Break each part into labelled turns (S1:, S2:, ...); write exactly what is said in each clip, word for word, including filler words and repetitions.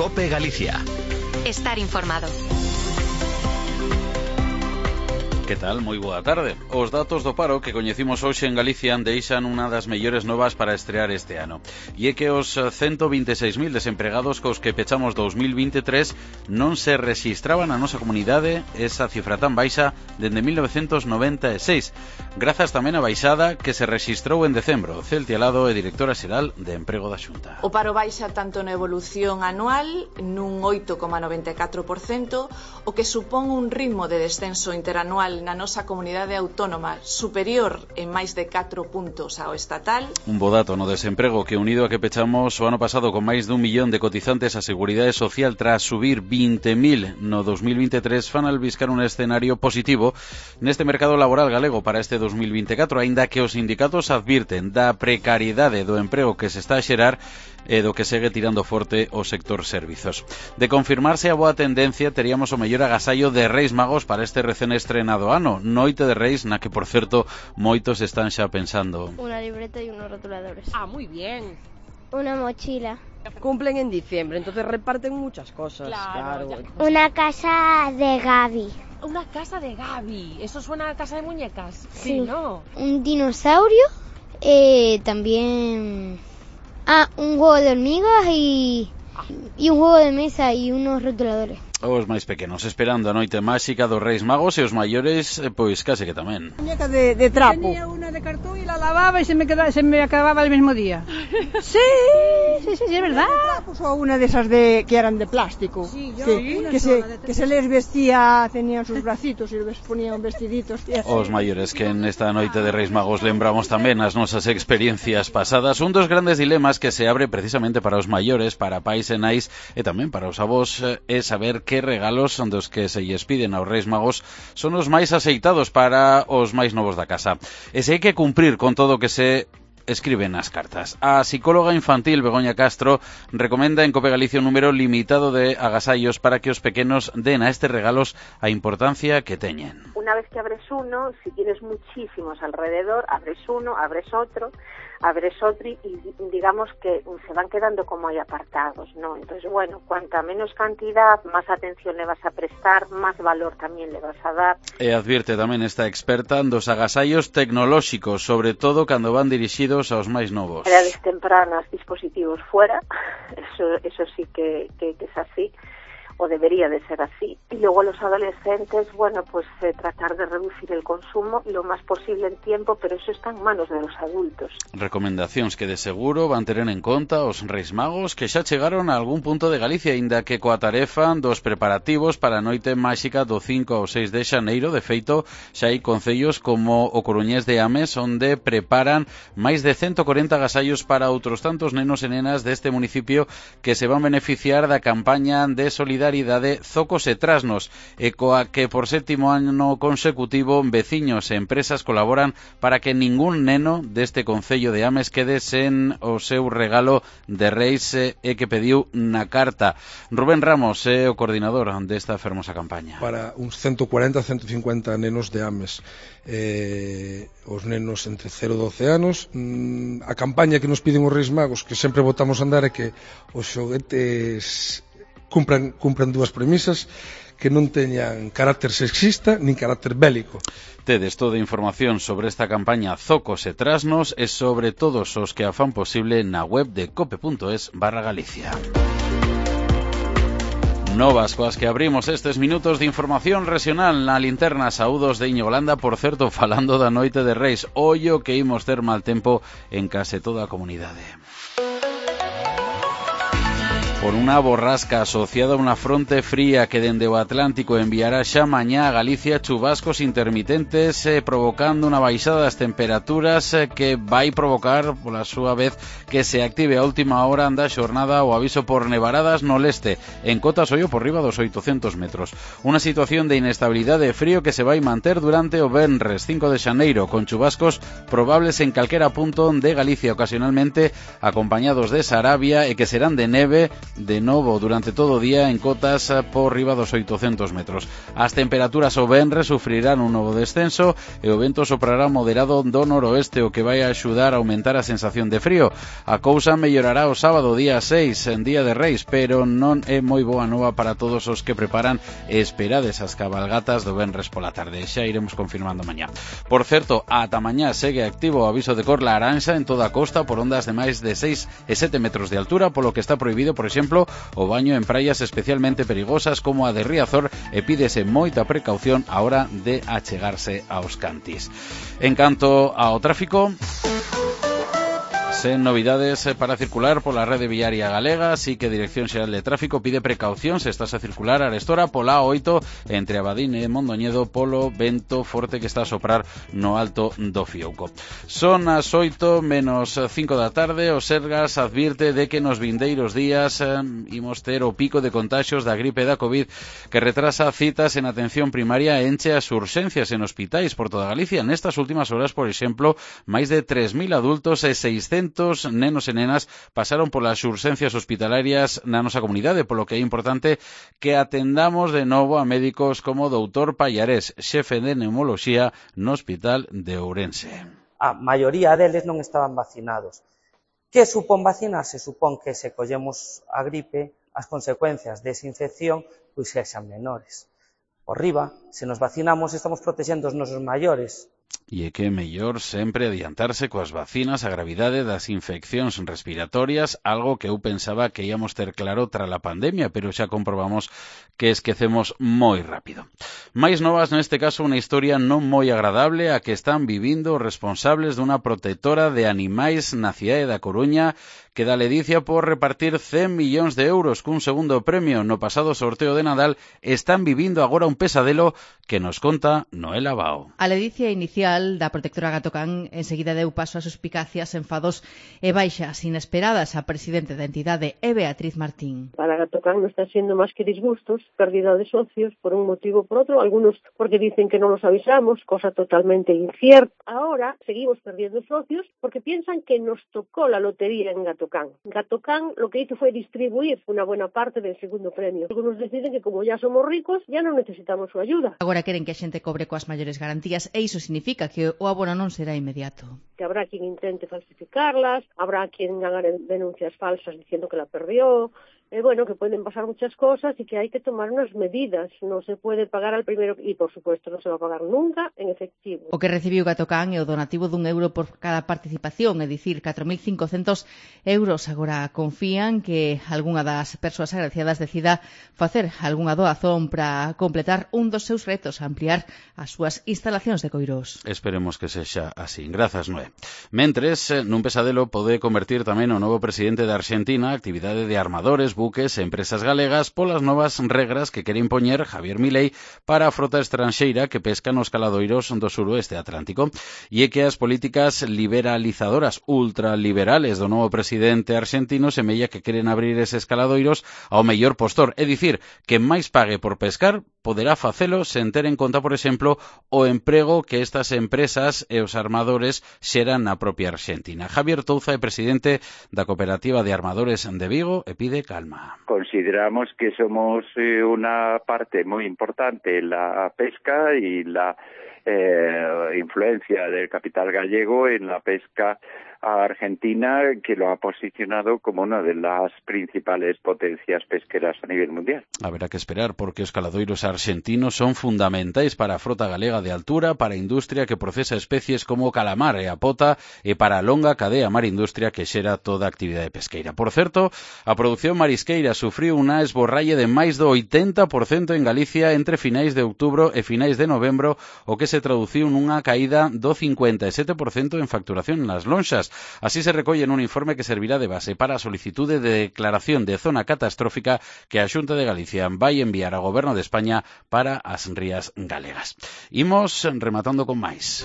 S1: COPE Galicia.
S2: Estar informado.
S3: Que tal? Moi boa tarde. Os datos do paro que coñecimos hoxe en Galicia deixan unha das mellores novas para estrear este ano. E é que os ciento vinte e seis mil desempregados cos que pechamos dos mil vinte e tres non se rexistraban na nosa comunidade esa cifra tan baixa dende mil novecentos noventa e seis. Grazas tamén a baixada que se rexistrou en decembro. Celtia Lado é directora xeral de Emprego da Xunta.
S4: O paro baixa tanto na evolución anual nun oito coma noventa e catro por cento, o que supón un ritmo de descenso interanual na nosa comunidade autónoma superior en máis de catro puntos ao estatal.
S3: Un bo dato no desemprego que, unido a que pechamos o ano pasado con máis dun millón de cotizantes a Seguridade Social tras subir vinte mil no dos mil vinte e tres, fan albiscar un escenario positivo neste mercado laboral galego para este dos mil vinte e catro, aínda que os sindicatos advirten da precariedade do emprego que se está a xerar e do que segue tirando forte o sector servizos. De confirmarse a boa tendencia, teríamos o mellor agasallo de Reis Magos para este recén estrenado ano, Noite de Reis, na que, por certo, moitos están xa pensando.
S5: Una libreta y unos rotuladores.
S6: Ah, muy bien.
S5: Una mochila.
S6: Cumplen en diciembre, entonces reparten muchas cosas.
S5: Claro. claro. Una casa de Gaby.
S6: Una casa de Gaby. Eso suena a casa de muñecas.
S5: Sí,
S6: sí ¿no?
S5: Un dinosaurio, eh, también... Ah, un juego de hormigas y, y un juego de mesa y unos rotuladores.
S3: Os máis pequenos esperando a noite máxica dos Reis Magos e os maiores, pois case que tamén.
S7: Muñeca de, de trapo.
S8: Tenía una de cartón y la lavaba y se me, quedaba, se me acababa el mismo día. Sí, sí, sí, sí, es verdad.
S7: ¿De trapos o una de esas de que eran de plástico?
S8: Sí, yo
S7: que, que, se, que se les vestía, tenían sus bracitos y les ponían vestiditos.
S3: Os maiores que en esta noite de Reis Magos lembramos tamén as nosas experiencias pasadas. Un dos grandes dilemas que se abre precisamente para os maiores, para pais e nais e tamén para os avós é saber que regalos son dos que se lles piden aos Reis Magos son os máis aceitados para os máis novos da casa. E se hai que cumprir con todo o que se escribe nas cartas. A psicóloga infantil Begoña Castro recomenda en COPE Galicia un número limitado de agasallos para que os pequenos den a estes regalos a importancia que teñen.
S9: Una vez que abres uno, si tienes muchísimos alrededor, abres uno, abres otro, abres otro y digamos que se van quedando como ahí apartados, ¿no? Entonces, bueno, cuanta menos cantidad, más atención le vas a prestar, más valor también le vas a dar.
S3: E advierte tamén esta experta dos agasallos tecnolóxicos, sobre todo cando van dirixidos aos máis novos.
S9: Edades tempranas, dispositivos fuera, eso eso sí que, que, que es así, o debería de ser así. Y luego los adolescentes, bueno, pues eh, tratar de reducir el consumo lo más posible en tiempo, pero eso está en manos de los adultos.
S3: Recomendacións que de seguro van ter en conta os Reis Magos que xa chegaron a algún punto de Galicia, inda que coa tarefa dos preparativos para a noite máxica do cinco ao seis de xaneiro. De feito, xa hai concellos como o coruñés de Ames, onde preparan máis de ciento corenta agasallos para outros tantos nenos e nenas deste municipio que se van beneficiar da campaña de solidaridade Zocos e Trasnos, e coa que por sétimo ano consecutivo veciños e empresas colaboran para que ningún neno deste concello de Ames quede sen o seu regalo de Reis e que pediu na carta. Rubén Ramos é o coordinador desta fermosa campaña.
S10: Para uns ciento cuarenta a ciento cincuenta nenos de Ames, eh, os nenos entre cero e doce anos. mm, a campaña que nos piden os Reis Magos, que sempre botamos a andar, é que os xoguetes cumpran, cumpran dúas premisas, que non teñan carácter sexista nin carácter bélico.
S3: Tedes toda a información sobre esta campaña Zocos e Trasnos e sobre todos os que a fan posible na web de cope.es barra Galicia. Novas coas que abrimos estes minutos de información regional na linterna. Saúdos de Íñigo Landa, por certo, falando da noite de Reis. Ollo que imos ter mal tempo en case toda a comunidade. Por unha borrasca asociada a unha fronte fría que dende o Atlántico enviará xa mañá a Galicia chubascos intermitentes, eh, provocando unha baixada das temperaturas eh, que vai provocar, pola súa vez, que se active a última hora da xornada o aviso por nevaradas no leste, en cotas ollo por riba dos oitocentos metros. Unha situación de inestabilidade e frío que se vai manter durante o venres cinco de xaneiro, con chubascos probables en calquera punto de Galicia, ocasionalmente acompañados de Sarabia, e que serán de neve de novo durante todo o día en cotas por riba dos oitocentos metros. As temperaturas o venres sufrirán un novo descenso e o vento soprará moderado do noroeste, o que vai a axudar a aumentar a sensación de frío. A cousa mellorará o sábado, día seis, en día de Reis, pero non é moi boa nova para todos os que preparan e esperades as cabalgatas do venres pola tarde. Xa iremos confirmando mañá. Por certo, ata mañá segue activo o aviso de cor laranxa en toda a costa por ondas de máis de seis e sete metros de altura, polo que está prohibido, por exemplo, o baño en praias especialmente perigosas como a de Riazor, e pídese moita precaución a hora de achegarse aos cantis. En canto ao tráfico, sen novidades para circular pola rede viaria galega, así que a Dirección Xeral de Tráfico pide precaución se estás a circular arestora pola A oito entre Abadín e Mondoñedo polo vento forte que está a soprar no alto do Fiouco. Son as oito menos cinco da tarde. O Sergas advirte de que nos vindeiros días eh, imos ter o pico de contaxios da gripe da COVID, que retrasa citas en atención primaria e enche as urxencias en hospitais por toda Galicia. Nestas últimas horas, por exemplo, máis de tres mil adultos e seiscentos nenos e nenas pasaron polas urxencias hospitalarias na nosa comunidade, polo que é importante que atendamos de novo a médicos como o doutor Pallarés, xefe de neumoloxía no Hospital de Ourense.
S1: A maioría deles non estaban vacinados. Que supón vacinarse? Supón que se collemos a gripe, as consecuencias desa infección pois sexan menores. Por riba, se nos vacinamos, estamos protexendo os nosos maiores.
S3: E é que é mellor sempre adiantarse coas vacinas a gravidade das infeccións respiratorias, algo que eu pensaba que íamos ter claro tras a pandemia, pero xa comprobamos que esquecemos moi rápido. Mais novas neste caso, unha historia non moi agradable a que están vivindo os responsables dunha protectora de animais na cidade da Coruña, que da ledicia por repartir cen millóns de euros cun segundo premio no pasado sorteo de Nadal. Están vivindo agora un pesadelo que nos conta Noela Bao.
S2: A ledicia inicial da protectora Gatocán enseguida deu paso a suspicacias, enfados e baixas inesperadas. A presidente da entidade é Beatriz Martín.
S11: Para Gatocán non está sendo máis que disgustos, pérdida de socios por un motivo ou por outro, algunos porque dicen que non los avisamos, cosa totalmente incierta. Ahora seguimos perdiendo socios porque piensan que nos tocó la lotería en Gatocán. Gatocán lo que hizo fue distribuir una buena parte del segundo premio. Algunos deciden que como ya somos ricos, ya non necesitamos su ayuda.
S2: Agora queren que a xente cobre coas maiores garantías e iso significa que o abono non será inmediato.
S11: Que habrá quien intente falsificarlas, habrá quien haga denuncias falsas diciendo que la perdió. Eh, bueno, que pueden pasar muchas cosas y que hay que tomar unas medidas. No se puede pagar al primero y, por supuesto, no se va a pagar nunca en efectivo.
S2: O que recibiu Gatocán é o donativo dun euro por cada participación, é dicir, catro mil cincocentos euros. Agora confían que algunha das persoas agraciadas decida facer algunha doazón para completar un dos seus retos, ampliar as súas instalacións de coirós.
S3: Esperemos que sexa así. Grazas, Noé. Mentres, nun pesadelo pode convertir tamén o novo presidente de Argentina a actividade de armadores, buques e empresas galegas polas novas regras que quere impoñer Javier Milei para a frota estranxeira que pesca nos caladoiros do suroeste atlántico. E é que as políticas liberalizadoras ultraliberales do novo presidente argentino semella que queren abrir eses caladoiros ao mellor postor, é dicir, que máis pague por pescar poderá facelo sen ter en conta, por exemplo, o emprego que estas empresas e os armadores xeran na propia Argentina. Javier Touza é presidente da Cooperativa de Armadores de Vigo e pide calma.
S12: Consideramos que somos eh, una parte muy importante en la pesca y la eh, influencia del capital gallego en la pesca a Argentina, que lo ha posicionado como una de las principales potencias pesqueras a nivel mundial.
S3: Haberá que esperar porque os caladoiros argentinos son fundamentais para a frota galega de altura, para a industria que procesa especies como o calamar e a pota e para a longa cadea marindustria que xera toda a actividade pesqueira. Por certo, a produción marisqueira sufriu unha esborralle de máis do oitenta por cento en Galicia entre finais de outubro e finais de novembro, o que se traduciu nunha caída do cincuenta e sete por cento en facturación nas lonxas. Así se recolle nun informe que servirá de base para a solicitude de declaración de zona catastrófica que a Xunta de Galicia vai enviar ao Goberno de España para as rías galegas. Imos rematando con máis.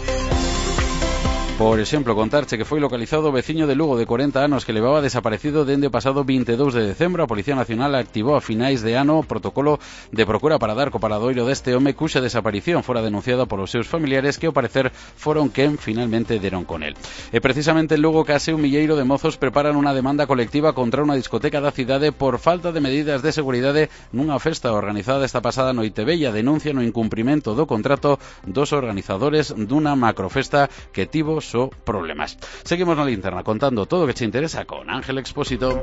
S3: Por exemplo, contarche que foi localizado o veciño de Lugo de corenta anos que levaba desaparecido dende o pasado vinte e dous de decembro. A Policía Nacional activou a finais de ano o protocolo de procura para dar co paradoiro deste home cuxa desaparición fora denunciada polos seus familiares, que ao parecer foron quen finalmente deron con el. E precisamente en Lugo case un milleiro de mozos preparan unha demanda colectiva contra unha discoteca da cidade por falta de medidas de seguridade nunha festa organizada esta pasada noite vella. Denuncian o incumprimento do contrato dos organizadores dunha macrofesta que tivo só problemas. Seguimos na linterna contando todo o que che interesa con Ángel Expósito.